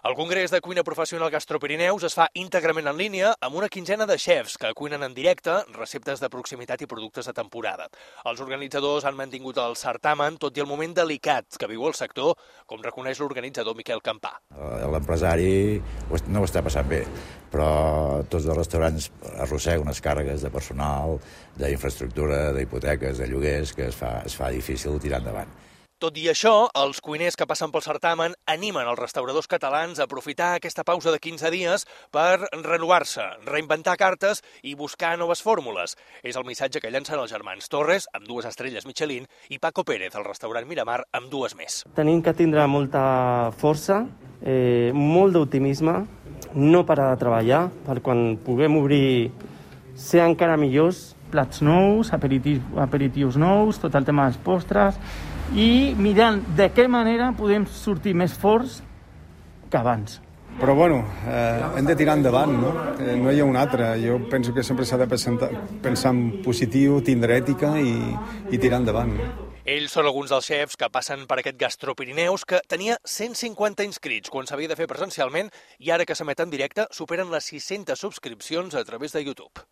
El Congrés de Cuina Professional Gastropirineus es fa íntegrament en línia amb una quinzena de xefs que cuinen en directe receptes de proximitat i productes de temporada. Els organitzadors han mantingut el certamen tot i el moment delicat que viu el sector, com reconeix l'organitzador Miquel Campà. L'empresari no ho està passant bé, però tots els restaurants arrosseguen unes càrregues de personal, d'infraestructura, d'hipoteques, de lloguers, que es fa difícil tirar endavant. Tot i això, els cuiners que passen pel certamen animen els restauradors catalans a aprofitar aquesta pausa de 15 dies per renovar-se, reinventar cartes i buscar noves fórmules. És el missatge que llancen els germans Torres, amb 2 estrelles Michelin, i Paco Pérez, al restaurant Miramar, amb 2 més. Tenim que tindre molta força, molt d'optimisme, no parar de treballar per quan puguem obrir ser encara millors. Plats nous, aperitius nous, tot el tema dels postres i mirant de què manera podem sortir més forts que abans. Però bueno, hem de tirar endavant, no? No hi ha una altra. Jo penso que sempre s'ha de pensar en positiu, tindre ètica i tirar endavant. Ells són alguns dels xefs que passen per aquest Gastropirineus que tenia 150 inscrits quan s'havia de fer presencialment i ara que s'emet en directe superen les 600 subscripcions a través de YouTube.